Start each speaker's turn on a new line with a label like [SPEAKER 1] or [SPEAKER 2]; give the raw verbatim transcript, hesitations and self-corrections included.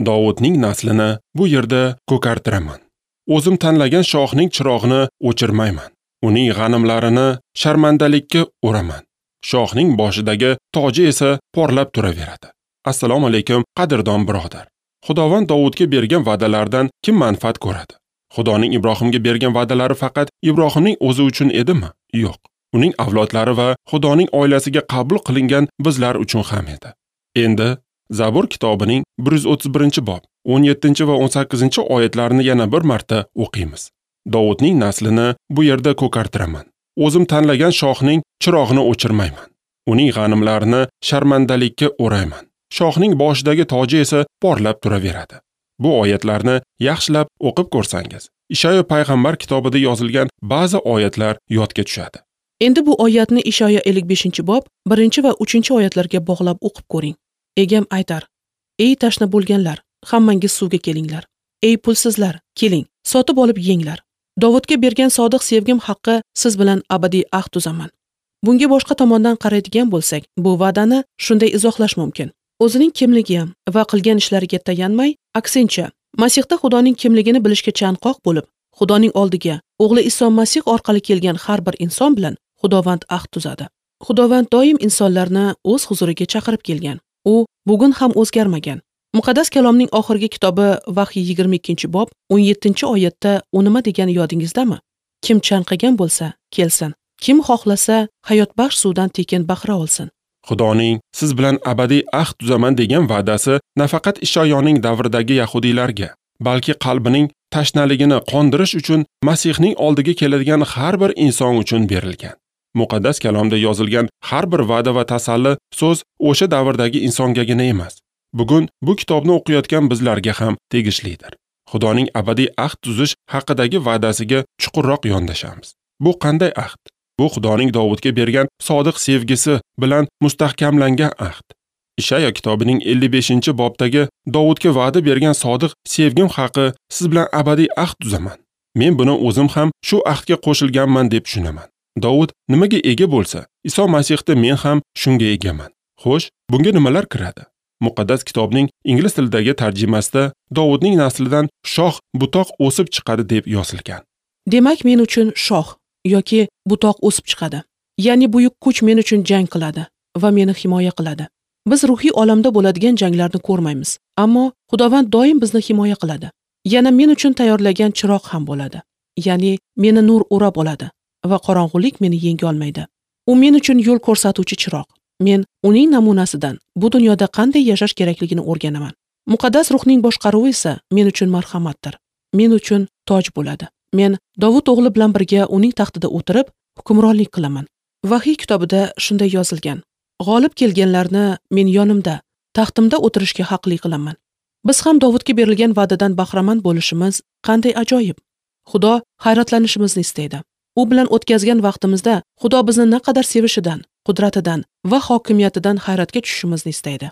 [SPEAKER 1] Dovudning naslini bu yerda ko'kartiraman. O'zim tanlagan shohning chirog'ini o'chirmayman. Uning g'animlarini sharmandalikka uraman. Shohning boshidagi toji esa porlab turaveradi. Assalomu alaykum, qadrdon birodar. Xudovand Dovudga bergan va'dalardan kim manfaat ko'radi? Xudoning Ibrohimga bergan va'dalari faqat Ibrohimning o'zi uchun edimi? Yo'q. Uning avlodlari va Xudoning oilasiga qabul qilingan bizlar uchun ham edi. Endi Zabur kitobining bir yuz o'ttiz birinchi bob o'n yettinchi va o'n sakkizinchi oyatlarini yana bir marta o'qiymiz. Dovudning naslini bu yerda ko'kartiraman. O'zim tanlagan shohning chirog'ini o'chirmayman. Uning g'animlarini sharmandalikka o'rayman. Shohning boshidagi toji esa porlab turaveradi. Bu oyatlarni yaxshilab o'qib ko'rsangiz, Ishoyo payg'ambar kitobida yozilgan ba'zi oyatlar yodga tushadi.
[SPEAKER 2] Endi bu oyatni Ishoyo ellik beshinchi bob birinchi va uchinchi oyatlarga bog'lab o'qib ko'ring. Egam aytar: Ey tashna bo'lganlar, hammangiz suvga kelinglar. Ey pulsizlar, keling, sotib olib yenglar. Dovudga bergan sodiq sevgim haqqi siz bilan abadiy ahd tuzaman. Bunga boshqa tomondan qaraydigan bo'lsak, bu va'dani shunday izohlash mumkin. O'zining kimligi va qilgan ishlariga tayanmay, aksincha, Masihda Xudoning kimligini bilishga chanqoq bo'lib, Xudoning oldiga o'g'li Iso Masih orqali kelgan har bir inson bilan Xudovand ahd tuzadi. Xudovand doim insonlarni o'z huzuriga chaqirib kelgan. U bugun ham o'zgarmagan. Muqaddas kalomning oxirgi kitobi Vahiy yigirma ikkinchi bob o'n yettinchi oyatda u nima degani yodingizdami? Kim chanqagan bo'lsa, kelsin. Kim xohlasa, hayotbaxsh suvdan tekin bahra olsin.
[SPEAKER 1] Xudoning siz bilan abadiy ahd tuzaman degan va'dasi nafaqat Ishoyoning davridagi yahudiylarga, balki qalbining tashnaligini qondirish uchun Masihning oldiga keladigan har bir inson uchun berilgan. Muqaddas kalomda yozilgan har bir va'da va tasalli so'z o'sha davrdagi insongagina emas, bugun bu kitobni o'qiyotgan bizlarga ham tegishlidir. Xudoning abadiy ahd tuzish haqidagi va'dasiga chuqurroq yondashamiz. Bu qanday ahd? Bu Xudoning Dovudga bergan sodiq sevgisi bilan mustahkamlangan ahd. Ishoyo kitobining ellik beshinchi bobdagi Dovudga va'da bergan sodiq sevgim haqi siz bilan abadiy ahd tuzaman. Men buni o'zim ham shu ahdga qo'shilganman deb tushunaman. Dovud nimaga ega bo'lsa, Iso Masihda men ham shunga egaman. Xo'sh, bunga nimalar kiradi? Muqaddas kitobning ingliz tilidagi tarjimasida Dovudning naslidan shoh butoq o'sib chiqadi deb yozilgan.
[SPEAKER 2] Demak, men uchun shoh yoki butoq o'sib chiqadi. Ya'ni buyuk kuch men uchun jang qiladi va meni himoya qiladi. Biz ruhiy olamda bo'ladigan janglarni ko'rmaymiz, ammo Xudovand doim bizni himoya qiladi. Yana men uchun tayyorlagan chiroq ham bo'ladi. Ya'ni meni nur o'rab oladi va qorong'ulik meni yenga olmaydi. U men uchun yo'l ko'rsatuvchi chiroq. Men uning namunasidan bu dunyoda qanday yashash kerakligini o'rganaman. Muqaddas ruhning boshqaruvi esa men uchun marhamatdir. Men uchun toj bo'ladi. Men Dovud o'g'li bilan birga uning taxtida o'tirib, hukmronlik qilaman. Vahiy kitobida shunday yozilgan: G'olib kelganlarni men yonimda, taxtimda o'tirishga haqli qilaman. Biz ham Dovudga berilgan va'dadan bahramand bo'lishimiz qanday ajoyib. Xudo hayratlanishimizni istaydi. U bilan o'tkazgan vaqtimizda Xudo bizni naqadar sevishidan, qudratidan va hokimiyatidan hayratga tushishimizni istaydi.